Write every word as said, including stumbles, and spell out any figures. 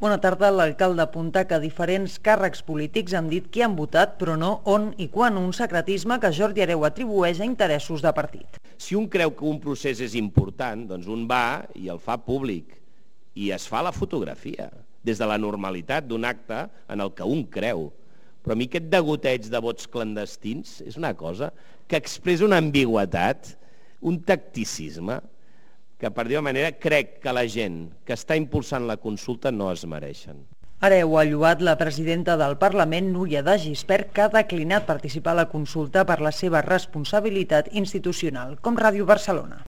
Bona tarda. L'alcalde apunta que diferents càrrecs polítics han dit qui han votat, però no on i quan, un secretisme que Jordi Hereu atribueix a interessos de partit. Si un creu que un procés és important, doncs un va i el fa públic i es fa la fotografia, des de la normalitat d'un acte en el que un creu. Però a mi aquest degoteig de vots clandestins és una cosa que expressa una ambigüetat, un tacticisme, que per dir-ho manera crec que la gent que està impulsant la consulta no es mereixen. Hereu ha lloat la presidenta del Parlament, Núria de Gispert, que ha declinat participar a la consulta per la seva responsabilitat institucional, com Ràdio Barcelona.